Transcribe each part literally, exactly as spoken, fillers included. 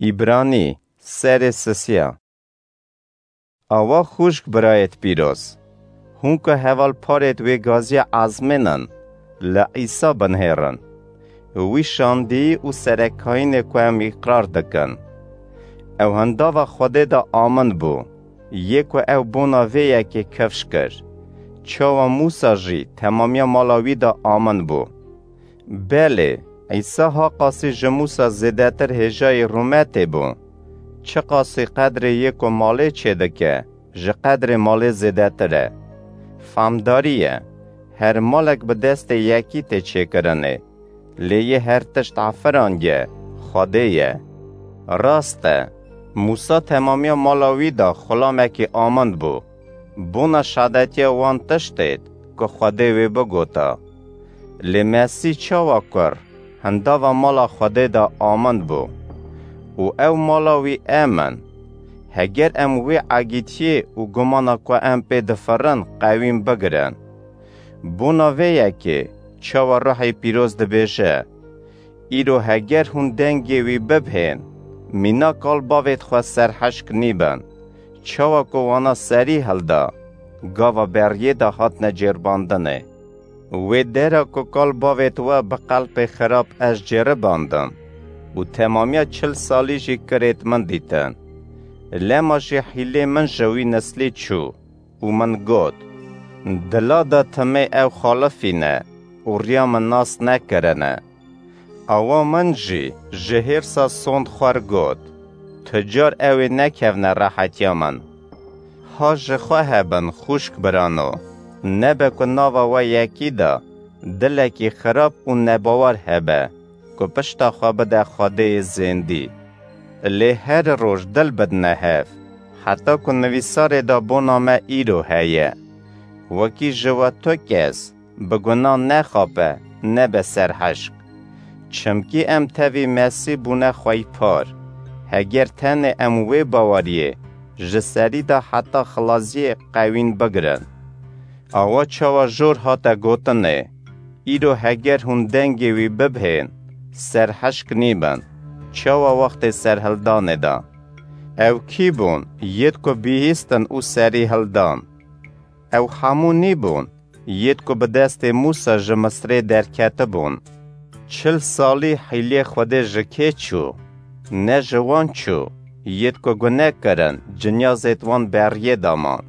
Îbranî, serê sisiya. Awa xûşk birayêt pîroz, hûn ku heval parêt wê gaziya ezmênin, li Îsa binihêrin. Wî şandî û serekayînê ku em îqrar dikin. Ew hindava Xwedê de amin bû, yê ku ew bona vê yekê kifş kir. Çawa Mûsa jî temamiya mala wî de amin bû. Belê, Îsa ha qasî ji Mûsa zêdetir hêjayî rûmetê bû. Çiqasî qedrê yê ku malê çêdike, ji qedrê malê zêdetir e. Famdarî ye, her malek bi destê yekî tê çêkirinê. Lê yê her tişt efirandiye, Xwedê ye. Rast e, Mûsa temamiya mala wî de xulamekî amin bû. Bona şadetiya wan tiştêt ku Xwedê wê bigota. Lê Mesîh çawa kur, hindava mala Xwedê de amin bû. Û ew mala wî em in. Heger em wê egîtiyê û gumana ku em pê difirin qewîn bigirin. Bona vê yekê, çawa Ruhê Pîroz dibêje, Îro heger hûn dengê wî bibhên, mîna kal bavêt xwe serhişk nîbin. Çawa ku wana serî hilda, gava beriyê de hatine cêrbandinê. Wê dera ku kal bavêt we bi qelpê xirab ez cêribandim û temamiya çil salî jî kirêt min dîtin. Lema jî hîlê min ji wî nislî çû û min got, Dila de timê ew xalifîne û riya min nas nekirine. Awa min jî ji hêrsa sond xwer got, Tu car ew ê nekevne rehetiya min. Ha ji xwe hebin xûşk birano, nebe ku nava we yekî de dilekî xirab û nebawer hebe ku pişta xwe bide Xwedêyê zêndî. Lê her roj dil bidine hev, heta ku nivîsarê de bona me îro heye. Wekî ji we tu kes bi gunan nexape, nebe serhişk. Çimkî em tevî Mesîh bûne xweypar. Heger tenê em wê baweriyê ji serî de heta xilaziyê qewîn bigirin. Awa çawa jor hate gotinê, Îro heger hûn dengê wî bibhên, serhişk nîbin, çawa wextê serhildanê de. Ew kî bûn, yêd ku bihîstin û serî hildan? Ew hemû nîbûn, yêd ku bi destê Mûsa ji Misrê derketibûn. Çil salî hîlê Xwedê ji kê çû? Ne ji wan çû, yêd ku gune kirin, cinyazêd wan beriyê daman.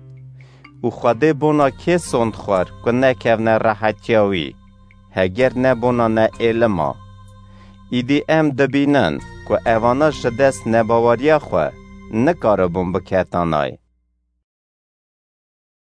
Û Xwedê bona kê sond xwar ku nekevne rehetiya wî, heger ne bona neêlima? Îdî em dibînin ku evana ji dest nebaweriya xwe nikaribûn biketanay.